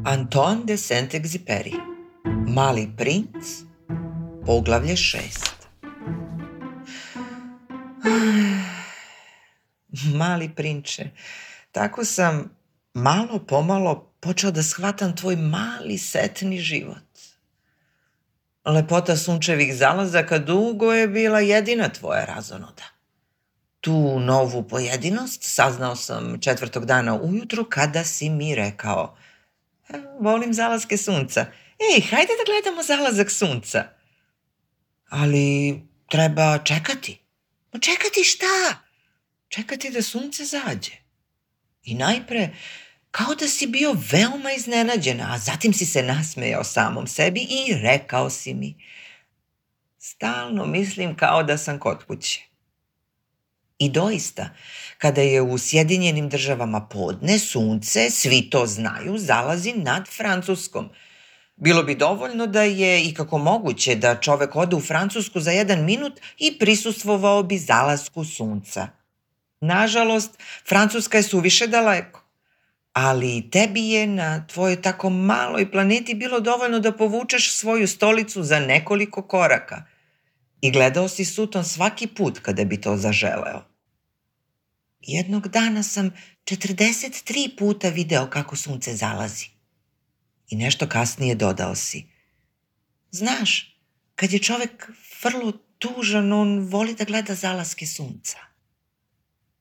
Antoine de Saint-Exupéry, Mali princ, poglavlje 6. Mali prinče, tako sam malo pomalo počeo da shvatam tvoj mali setni život. Lepota sunčevih zalazaka dugo je bila jedina tvoja razonoda. Tu novu pojedinost saznao sam 4. dana ujutru kada si mi rekao: volim zalaske sunca. Hajde da gledamo zalazak sunca. Ali treba čekati. Čekati šta? Čekati da sunce zađe. I najpre, kao da si bio veoma iznenađen, a zatim si se nasmejao samom sebi i rekao si mi: stalno mislim kao da sam kod kuće. I doista, kada je u Sjedinjenim Državama podne, sunce, svi to znaju, zalazi nad Francuskom. Bilo bi dovoljno da je ikako moguće da čovek ode u Francusku za 1 minut i prisustvovao bi zalasku sunca. Nažalost, Francuska je suviše daleko, ali tebi je na tvojoj tako maloj planeti bilo dovoljno da povučeš svoju stolicu za nekoliko koraka i gledao si Suton svaki put kada bi to zaželeo. Jednog dana sam 43 puta video kako sunce zalazi. I nešto kasnije dodao si: znaš, kad je čovek vrlo tužan, on voli da gleda zalaske sunca.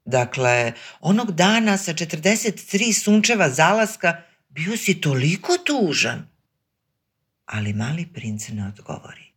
Dakle, onog dana sa 43 sunčeva zalaska bio si toliko tužan. Ali mali princ ne odgovori.